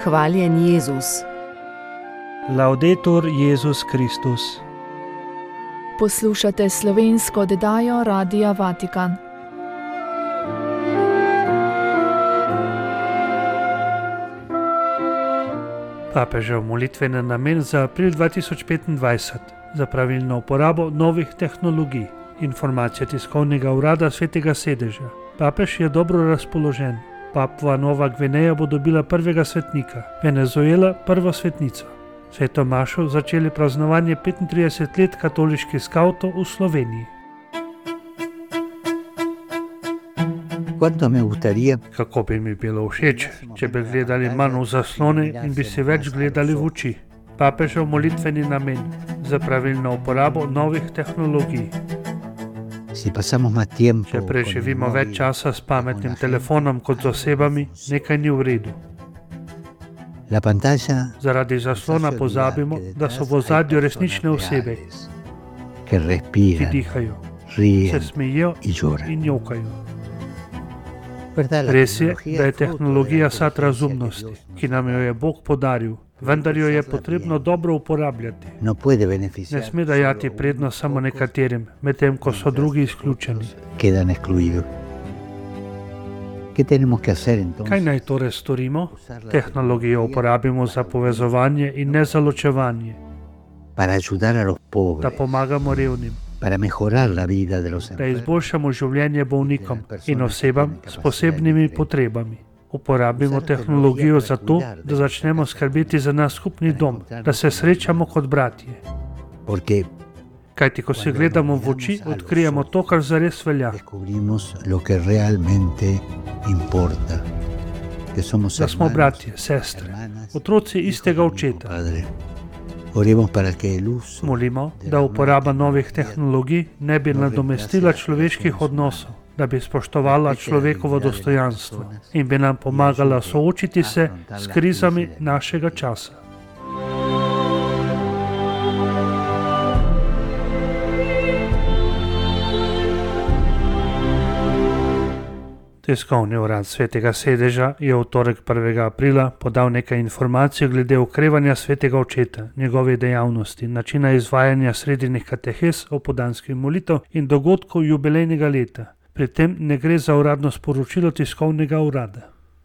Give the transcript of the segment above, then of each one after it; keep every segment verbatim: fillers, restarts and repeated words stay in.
Hvaljen Jezus. Laudetur Jezus Kristus. Poslušate slovensko oddajo Radia Vatikan. Papežev molitveni namen za april dva tisoč petindvajset za pravilno uporabo novih tehnologij. Informacija tiskovnega urada Svetega sedeža. Papež je dobro razpoložen. Papua Nova Gvineja bo dobila prvega svetnika, Venezuela prvo svetnico. Sveto mašo začeli praznovanje petintrideset let katoliških skavtov v Sloveniji. Kako bi mi bilo všeč, če bi gledali manj v zaslone in bi si več gledali v oči. Papežev molitveni namen za pravilno uporabo novih tehnologij. Če preživimo več časa s pametnim telefonom kot z osebami, nekaj ni v redu. Zaradi zaslona pozabimo, da so v ozadju resnične osebe, ki dihajo, se smejijo in jokajo. Res je, da je tehnologija sad razumnosti, ki nam jo je Bog podaril, vendar jo je potrebno dobro uporabljati. Ne sme dajati prednost samo nekaterim, medtem ko so drugi izključeni. Kaj naj torej storimo? Tehnologijo uporabimo za povezovanje in ne za ločevanje, da pomagamo revnim, da izboljšamo življenje bolnikom in osebam s posebnimi potrebami. Uporabimo tehnologijo za to, da začnemo skrbeti za naš skupni dom, da se srečamo kot bratje. Kajti, ko se gledamo v oči, odkrijemo to, kar zares velja. Da smo bratje, sestre, otroci istega očeta. Molimo, da uporaba novih tehnologij ne bi nadomestila človeških odnosov, da bi spoštovala človekovo dostojanstvo in bi nam pomagala soočiti se s krizami našega časa. Tiskovni urad Svetega sedeža je v torek prvega aprila podal nekaj informacij glede okrevanja Svetega očeta, njegove dejavnosti, načina izvajanja sredinnih katehes, opoldanskih molitev in dogodkov jubilejnega leta. Pri tem ne gre za uradno sporočilo tiskovnega urada.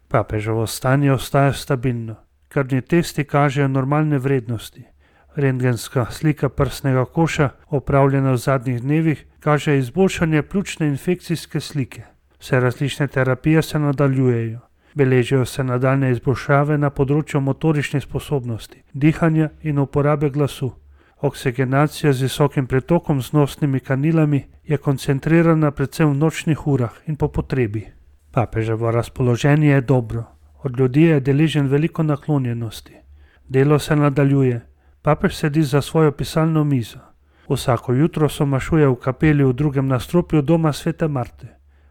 Papeževo stanje ostaja stabilno. Krvni testi kažejo normalne vrednosti. Rentgenska slika prsnega koša, opravljena v zadnjih dnevih, kaže izboljšanje pljučne infekcijske slike. Vse različne terapije se nadaljujejo. Beležijo se nadaljne izboljšave na področju motoričnih sposobnosti, dihanja in uporabe glasu. Oksigenacija z visokim pretokom z nosnimi kanilami je koncentrirana predvsem v nočnih urah in po potrebi. Papeževo razpoloženje je dobro. Od ljudi je deležen veliko naklonjenosti. Delo se nadaljuje. Papež sedi za svojo pisalno mizo. Vsako jutro so mašuje v kapeli v drugem nadstropju doma Svete Marte.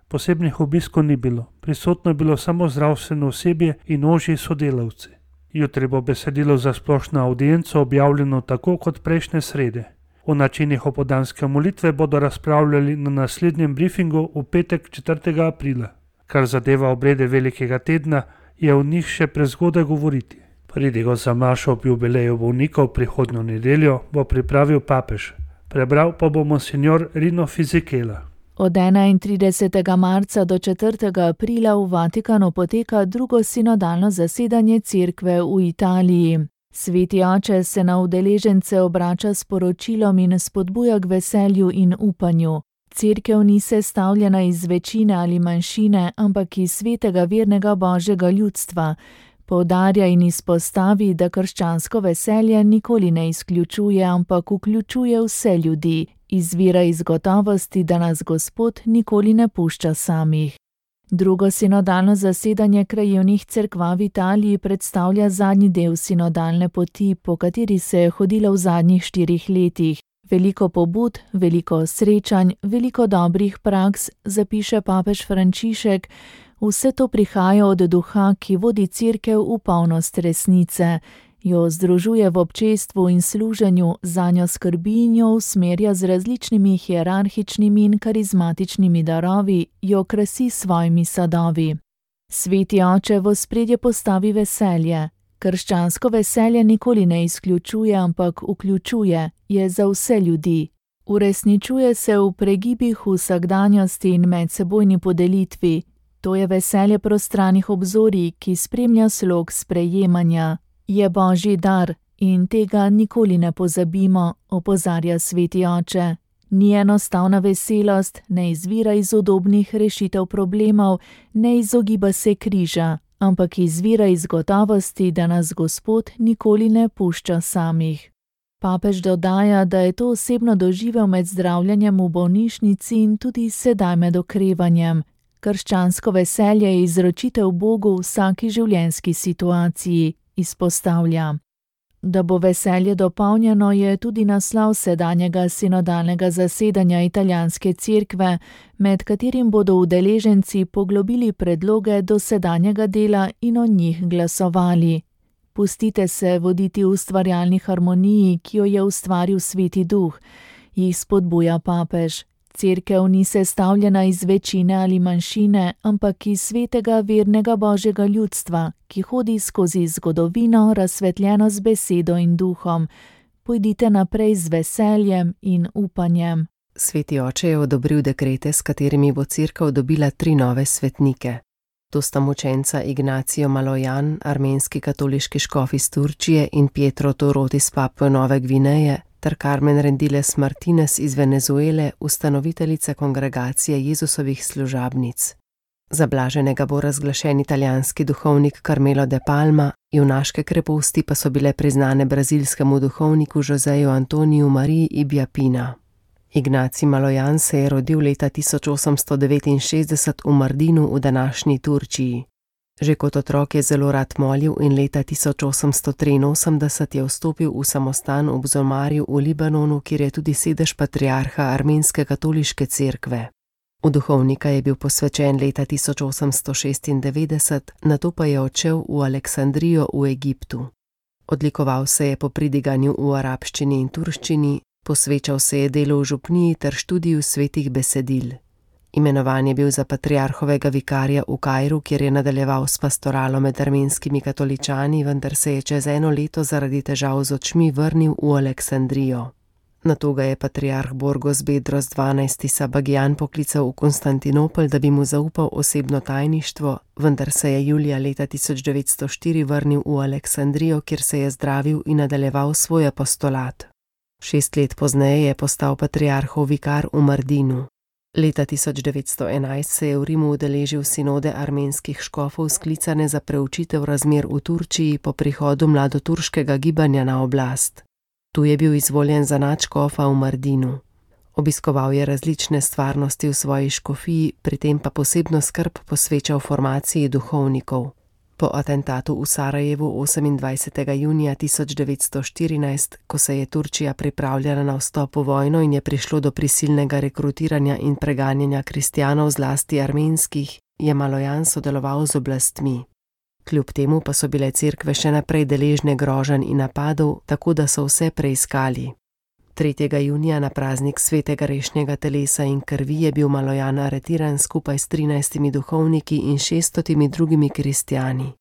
Posebnih obiskov ni bilo. Prisotno je bilo samo zdravstveno osebje in ožji sodelavci. Jutri bo besedilo za splošno avdienco objavljeno tako kot prejšnje srede. O načinih opoldanske molitve bodo razpravljali na naslednjem briefingu v petek četrtega aprila. Kar zadeva obrede velikega tedna, je o njih še prezgodaj govoriti. Pridigo za mašo ob jubileju bolnikov prihodnjo nedeljo bo pripravil papež. Prebral pa bo monsignor Rino Fisichella. Od enaintridesetega marca do četrtega aprila v Vatikanu poteka drugo sinodalno zasedanje cerkve v Italiji. Sveti oče se na udeležence obrača s poročilom in spodbuja k veselju in upanju. Cerkev ni sestavljena iz večine ali manjšine, ampak iz svetega vernega božjega ljudstva. Poudarja in izpostavi, da krščansko veselje nikoli ne izključuje, ampak vključuje vse ljudi. Izvira iz gotovosti, da nas Gospod nikoli ne pušča samih. Drugo sinodalno zasedanje krajevnih cerkva v Italiji predstavlja zadnji del sinodalne poti, po kateri se je hodilo v zadnjih štirih letih. Veliko pobud, veliko srečanj, veliko dobrih praks, zapiše papež Frančišek, vse to prihaja od duha, ki vodi cerkev v polnost resnice. Jo združuje v občestvu in služenju, zanjo skrbi in jo usmerja z različnimi hierarhičnimi in karizmatičnimi darovi, jo krasi svojimi sadovi. Sveti oče v ospredje postavi veselje. Krščansko veselje nikoli ne izključuje, ampak vključuje, je za vse ljudi. Uresničuje se v pregibih vsakdanjosti in medsebojni podelitvi. To je veselje prostranih obzorij, ki spremlja slog sprejemanja. Je božji dar in tega nikoli ne pozabimo, opozarja sveti oče. Ni enostavna veselost, ne izvira iz udobnih rešitev problemov, ne izogiba se križa, ampak izvira iz gotovosti, da nas Gospod nikoli ne pušča samih. Papež dodaja, da je to osebno doživel med zdravljenjem v bolnišnici in tudi sedaj med okrevanjem. Krščansko veselje je izročitev Bogu v vsaki življenjski situaciji, izpostavlja. Da bo veselje dopolnjeno, je tudi naslov sedanjega sinodalnega zasedanja italijanske cerkve, med katerim bodo udeleženci poglobili predloge dosedanjega dela in o njih glasovali. Pustite se voditi v ustvarjalni harmoniji, ki jo je ustvaril Sveti Duh, jih spodbuja papež. Cerkev ni sestavljena iz večine ali manjšine, ampak iz svetega vernega božjega ljudstva, ki hodi skozi zgodovino, razsvetljeno z besedo in duhom. Pojdite naprej z veseljem in upanjem. Sveti oče je odobril dekrete, s katerimi bo cerkev dobila tri nove svetnike. To sta mučenca Ignacio Malojan, armenski katoliški škof iz Turčije, in Pietro Torot iz Papue Nove Gvineje, ter Carmen Rendiles Martinez iz Venezuele, ustanoviteljica kongregacije Jezusovih služabnic. Za blaženega bo razglašen italijanski duhovnik Carmelo de Palma, junaške kreposti pa so bile priznane brazilskemu duhovniku Joseju Antoniju Mariji Ibiapina. Ignaci Malojan se je rodil leta tisoč osemsto devetinšestdeset v Mardinu v današnji Turčiji. Že kot otrok je zelo rad molil in leta tisoč osemsto triinosemdeset je vstopil v samostan v Bzomarju v Libanonu, kjer je tudi sedež patriarha armenske katoliške cerkve. V duhovnika je bil posvečen leta tisoč osemsto šestindevetdeset, nato pa je odšel v Aleksandrijo v Egiptu. Odlikoval se je po pridiganju v arabščini in turščini, posvečal se je delu v župniji ter študiju svetih besedil. Imenovan je bil za patriarhovega vikarja v Kairu, kjer je nadaljeval s pastoralo med armenskimi katoličani, vendar se je čez eno leto zaradi težav z očmi vrnil v Aleksandrijo. Nato ga je patriarh Borgos Bedros dvanajsti Sabagijan poklical v Konstantinopel, da bi mu zaupal osebno tajništvo, vendar se je julija leta tisoč devetsto štiri vrnil v Aleksandrijo, kjer se je zdravil in nadaljeval svoj apostolat. Šest let pozneje je postal patriarhov vikar v Mardinu. Leta tisoč devetsto enajst se je v Rimu udeležil sinode armenskih škofov, sklicane za preučitev razmer v Turčiji po prihodu mladoturškega gibanja na oblast. Tu je bil izvoljen za nadškofa v Mardinu. Obiskoval je različne stvarnosti v svoji škofiji, pri tem pa posebno skrb posvečal formaciji duhovnikov. Po atentatu v Sarajevu osemindvajsetega junija tisoč devetsto štirinajst, ko se je Turčija pripravljala na vstop v vojno in je prišlo do prisilnega rekrutiranja in preganjanja kristjanov, zlasti armenskih, je Malojan sodeloval z oblastmi. Kljub temu pa so bile cerkve še naprej deležne groženj in napadov, tako da so vse preiskali. tretjega junija na praznik svetega rešnjega telesa in krvi je bil Malojan aretiran skupaj s trinajstimi duhovniki in šeststotimi drugimi kristjani.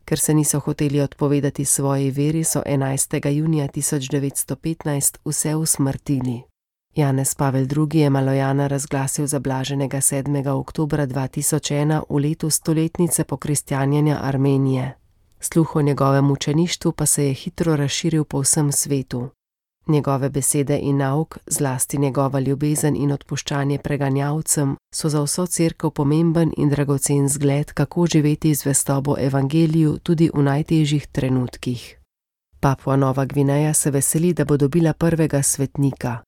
Ker se niso hoteli odpovedati svoji veri, so enajstega junija tisoč devetsto petnajst vse usmrtili. Janez Pavel drugi je Malojana razglasil za blaženega sedmega oktobra dva tisoč ena v letu stoletnice pokristjanjenja Armenije. Sluh o njegovem mučeništvu pa se je hitro razširil po vsem svetu. Njegove besede in nauk, zlasti njegova ljubezen in odpuščanje preganjavcem, so za vso cerkev pomemben in dragocen zgled, kako živeti zvestobo evangeliju tudi v najtežjih trenutkih. Papua Nova Gvineja se veseli, da bo dobila prvega svetnika.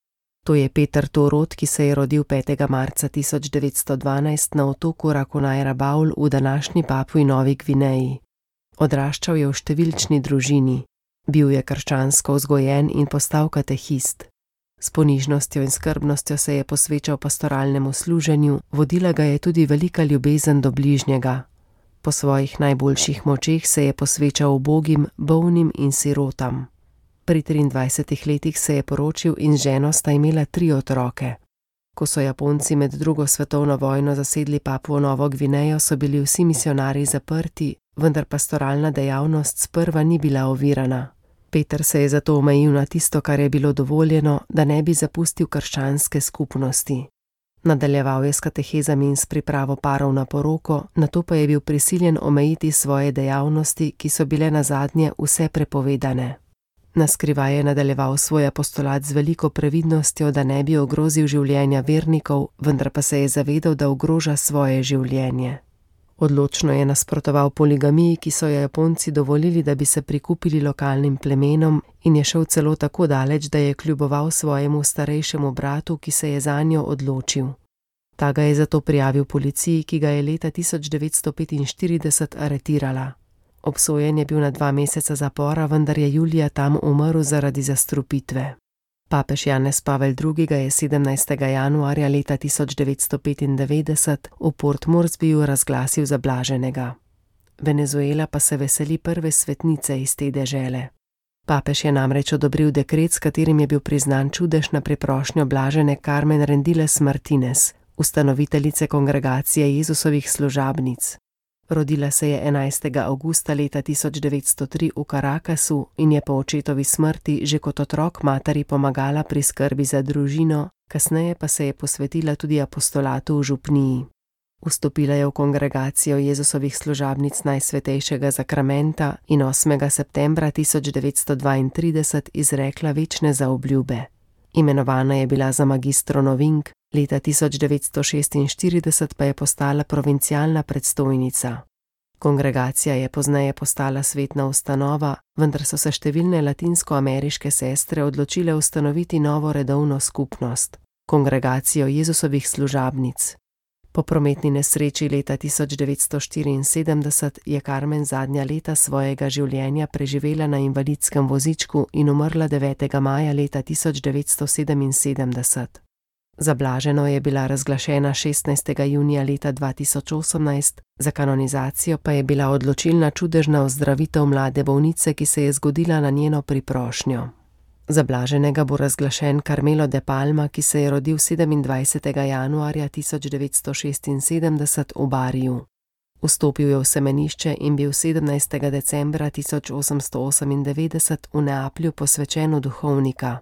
To je Peter Torot, ki se je rodil petega marca tisoč devetsto dvanajst na otoku Rakonaj Rabaul v današnji Papui Novi Gvineji. Odraščal je v številčni družini. Bil je krščansko vzgojen in postal katehist. S ponižnostjo in skrbnostjo se je posvečal pastoralnemu služenju, vodila ga je tudi velika ljubezen do bližnjega. Po svojih najboljših močeh se je posvečal ubogim, bolnim in sirotam. Pri triindvajsetih letih se je poročil in z ženo sta imela tri otroke. Ko so Japonci med drugo svetovno vojno zasedli Papuo Novo Gvinejo, so bili vsi misionarji zaprti, vendar pastoralna dejavnost sprva ni bila ovirana. Peter se je zato omejil na tisto, kar je bilo dovoljeno, da ne bi zapustil krščanske skupnosti. Nadaljeval je s katehezami in s pripravo parov na poroko, nato pa je bil prisiljen omejiti svoje dejavnosti, ki so bile nazadnje vse prepovedane. Naskrivaj je nadaljeval svoj apostolat z veliko previdnostjo, da ne bi ogrozil življenja vernikov, vendar pa se je zavedal, da ogroža svoje življenje. Odločno je nasprotoval poligamiji, ki so jo Japonci dovolili, da bi se prikupili lokalnim plemenom, in je šel celo tako daleč, da je kljuboval svojemu starejšemu bratu, ki se je zanjo odločil. Ta ga je zato prijavil policiji, ki ga je leta tisoč devetsto petinštirideset aretirala. Obsojen je bil na dva meseca zapora, vendar je julija tam umrl zaradi zastrupitve. Papež Janez Pavel drugi. ga je sedemnajstega januarja leta tisoč devetsto petindevetdeset v Port Moresbyju razglasil za blaženega. Venezuela pa se veseli prve svetnice iz te dežele. Papež je namreč odobril dekret, s katerim je bil priznan čudež na preprošnjo blažene Carmen Rendiles Martinez, ustanoviteljice kongregacije Jezusovih služabnic. Rodila se je enajstega avgusta leta tisoč devetsto tri v Caracasu in je po očetovi smrti že kot otrok materi pomagala pri skrbi za družino, kasneje pa se je posvetila tudi apostolatu v župniji. Vstopila je v kongregacijo Jezusovih služabnic Najsvetejšega zakramenta in osmega septembra tisoč devetsto dvaintrideset izrekla večne zaobljube. Imenovana je bila za magistro novink, leta tisoč devetsto šestinštirideset pa je postala provincialna predstojnica. Kongregacija je pozneje postala svetna ustanova, vendar so se številne latinskoameriške sestre odločile ustanoviti novo redovno skupnost, kongregacijo Jezusovih služabnic. Po prometni nesreči leta tisoč devetsto štiriinsedemdeset je Carmen zadnja leta svojega življenja preživela na invalidskem vozičku in umrla devetega maja leta tisoč devetsto sedeminsedemdeset. Za blaženo je bila razglašena šestnajstega junija leta dva tisoč osemnajst, za kanonizacijo pa je bila odločilna čudežna ozdravitev mlade bolnice, ki se je zgodila na njeno priprošnjo. Za blaženega bo razglašen Carmelo de Palma, ki se je rodil sedemindvajsetega januarja tisoč devetsto šestinsedemdeset v Bariju. Vstopil je v semenišče in bil sedemnajstega decembra tisoč osemsto osemindevetdeset v Neaplju posvečen v duhovnika.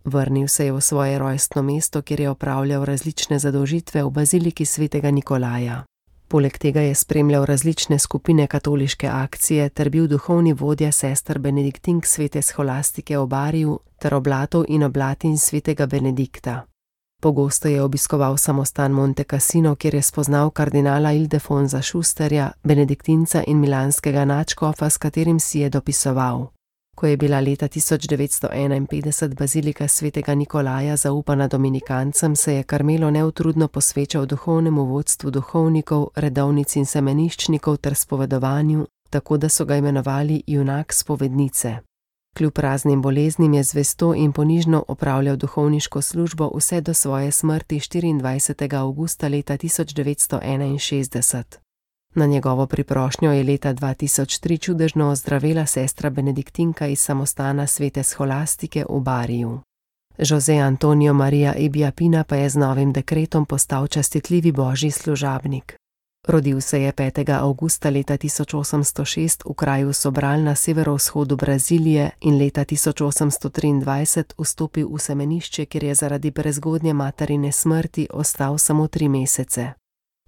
Vrnil se je v svoje rojstno mesto, kjer je opravljal različne zadolžitve v baziliki svetega Nikolaja. Poleg tega je spremljal različne skupine katoliške akcije ter bil duhovni vodja sester Benediktink svete Scholastike v Bariju ter oblatov in oblatin svetega Benedikta. Pogosto je obiskoval samostan Monte Cassino, kjer je spoznal kardinala Ildefonsa Schusterja, benediktinca in milanskega nadškofa, s katerim si je dopisoval. Ko je bila leta tisoč devetsto enainpetdeset bazilika svetega Nikolaja zaupana dominikancem, se je Carmelo neutrudno posvečal duhovnemu vodstvu duhovnikov, redovnic in semeniščnikov ter spovedovanju, tako da so ga imenovali junak spovednice. Kljub raznim boleznim je zvesto in ponižno opravljal duhovniško službo vse do svoje smrti štiriindvajsetega avgusta leta tisoč devetsto enainšestdeset. Na njegovo priprošnjo je leta dva tisoč tri čudežno ozdravela sestra Benediktinka iz samostana svete Scholastike v Bariju. José Antonio María Ebbia Pina pa je z novim dekretom postal častitljivi božji služabnik. Rodil se je petega avgusta leta tisoč osemsto šest v kraju Sobral na severovzhodu Brazilije in leta tisoč osemsto triindvajset vstopil v semenišče, kjer je zaradi prezgodnje materine smrti ostal samo tri mesece.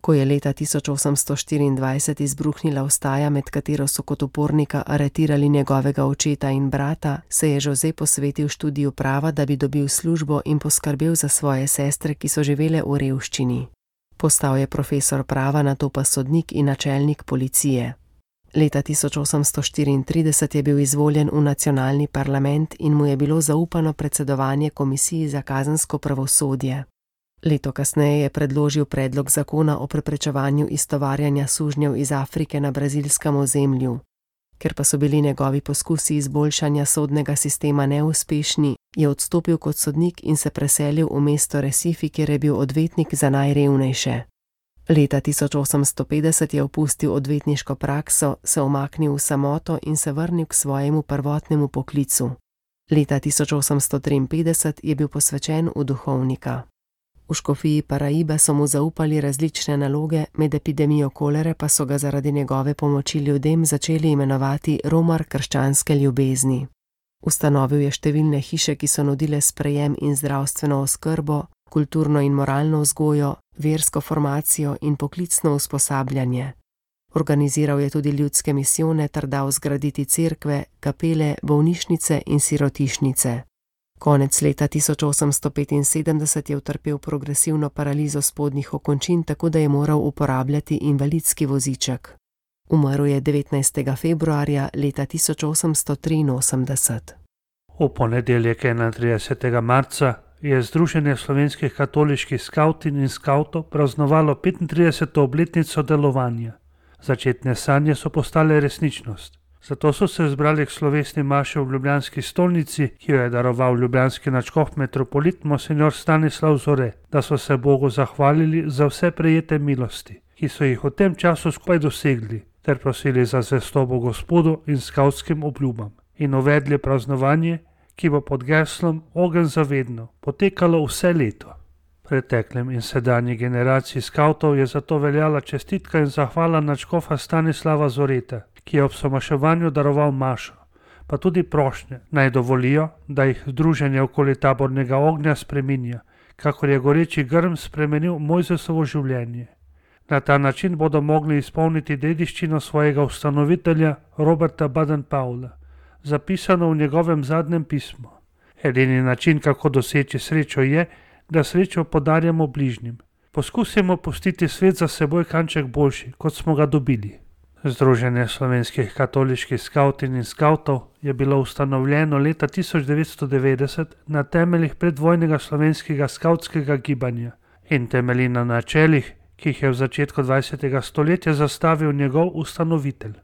Ko je leta tisoč osemsto štiriindvajset izbruhnila vstaja, med katero so kot upornika aretirali njegovega očeta in brata, se je José posvetil študiju prava, da bi dobil službo in poskrbel za svoje sestre, ki so živele v revščini. Postal je profesor prava, nato pa sodnik in načelnik policije. Leta tisoč osemsto štiriintrideset je bil izvoljen v nacionalni parlament in mu je bilo zaupano predsedovanje komisiji za kazensko pravosodje. Leto kasneje je predložil predlog zakona o preprečevanju iztovarjanja sužnjev iz Afrike na brazilskem ozemlju. Ker pa so bili njegovi poskusi izboljšanja sodnega sistema neuspešni, je odstopil kot sodnik in se preselil v mesto Recife, kjer je bil odvetnik za najrevnejše. Leta tisoč osemsto petdeset je opustil odvetniško prakso, se umaknil v samoto in se vrnil k svojemu prvotnemu poklicu. Leta tisoč osemsto triinpetdeset je bil posvečen v duhovnika. V škofiji Paraiba so mu zaupali različne naloge, med epidemijo kolere pa so ga zaradi njegove pomoči ljudem začeli imenovati romar krščanske ljubezni. Ustanovil je številne hiše, ki so nudile sprejem in zdravstveno oskrbo, kulturno in moralno vzgojo, versko formacijo in poklicno usposabljanje. Organiziral je tudi ljudske misijone ter dal zgraditi cerkve, kapele, bolnišnice in sirotišnice. Konec leta tisoč osemsto petinsedemdeset je utrpel progresivno paralizo spodnjih okončin, tako da je moral uporabljati invalidski voziček. Umrl je devetnajstega februarja leta tisoč osemsto triinosemdeset. V ponedeljek enaintridesetega marca je Združenje slovenskih katoliških skavtinj in skavtov praznovalo petintrideseto obletnico delovanja. Začetne sanje so postale resničnost. Zato so se zbrali k slovesni maši v ljubljanski stolnici, ki jo je daroval ljubljanski nadškof metropolit monsinjor Stanislav Zore, da so se Bogu zahvalili za vse prejete milosti, ki so jih v tem času skupaj dosegli, ter prosili za zvestobo Gospodu in skavtskim obljubam, in uvedli praznovanje, ki bo pod geslom Ogenj za vedno potekalo vse leto. Preteklem in sedanji generaciji skavtov je zato veljala čestitka in zahvala nadškofa Stanislava Zoreta, ki je ob somaševanju daroval mašo, pa tudi prošnje, naj dovolijo, da jih združenje okoli tabornega ognja spreminja, kakor je goreči grm spremenil Mojzesovo življenje. Na ta način bodo mogli izpolniti dediščino svojega ustanovitelja Roberta Baden-Powella, zapisano v njegovem zadnjem pismu. Edini način, kako doseči srečo, je, da srečo podarjamo bližnjim. Poskusimo pustiti svet za seboj kanček boljši, kot smo ga dobili. Združenje slovenskih katoliških skavtinj in skavtov je bilo ustanovljeno leta tisoč devetsto devetdeset na temeljih predvojnega slovenskega skavtskega gibanja in temelji na načelih, ki jih je v začetku dvajsetega stoletja zastavil njegov ustanovitelj.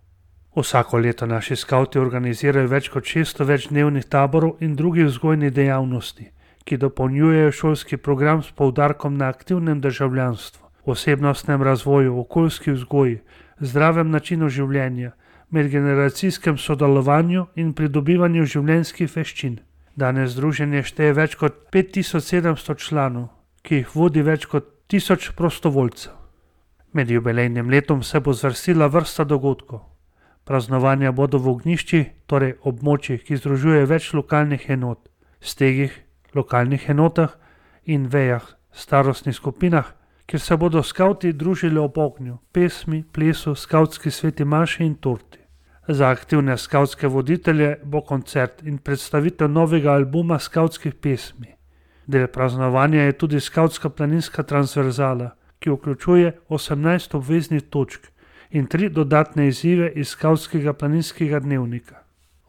Vsako leto naši skavti organizirajo več kot šeststo večdnevnih taborov in drugih vzgojnih dejavnosti, ki dopolnjujejo šolski program s poudarkom na aktivnem državljanstvu, osebnostnem razvoju, okoljski vzgoji, zdravem načinu življenja, medgeneracijskem sodelovanju in pridobivanju življenjskih veščin. Danes združenje šteje več kot pet tisoč sedemsto članov, ki jih vodi več kot tisoč prostovoljcev. Med jubilejnim letom se bo zvrstila vrsta dogodkov. Praznovanja bodo v ognjiščih, torej območjih, ki združuje več lokalnih enot, stegih, lokalnih enotah in vejah, starostnih skupinah, kjer se bodo skavti družili ob ognju, pesmi, plesu, skavtski sveti maši in torti. Za aktivne skavtske voditelje bo koncert in predstavitev novega albuma skavtskih pesmi. Del praznovanja je tudi skavtska planinska transverzala, ki vključuje osemnajst obveznih točk in tri dodatne izzive iz skavtskega planinskega dnevnika.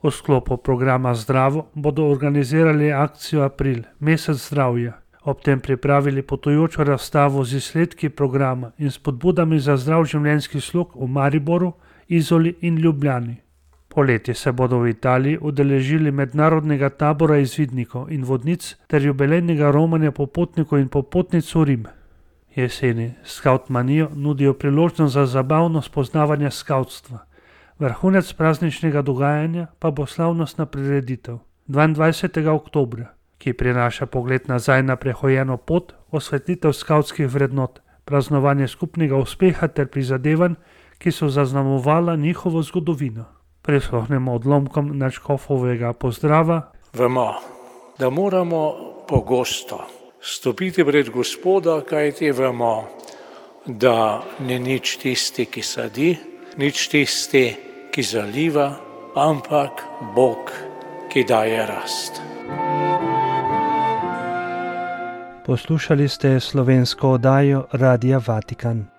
V sklopu programa Zdravo bodo organizirali akcijo April, mesec zdravja, ob tem pripravili potujočo razstavo z izsledki programa in spodbudami za zdrav življenjski slog v Mariboru, Izoli in Ljubljani. Poleti se bodo v Italiji udeležili mednarodnega tabora izvidnikov in vodnic ter jubilejnega romanja popotnikov in popotnic v Rim. Jeseni Skautmanijo nudijo priložnost za zabavno spoznavanje skavtstva. Vrhunec prazničnega dogajanja pa bo slavnostna prireditev dvaindvajsetega oktobra, ki prinaša pogled nazaj na prehojeno pot, osvetlitev skavtskih vrednot, praznovanje skupnega uspeha ter prizadevanj, ki so zaznamovala njihovo zgodovino. Prisluhnemo odlomkom nadškofovega pozdrava. Vemo, da moramo pogosto stopiti pred Gospoda, kajti vemo, da ni nič tisti, ki sadi, nič tisti, ki zaliva, ampak Bog, ki daje rast. Poslušali ste slovensko oddajo Radia Vatikan.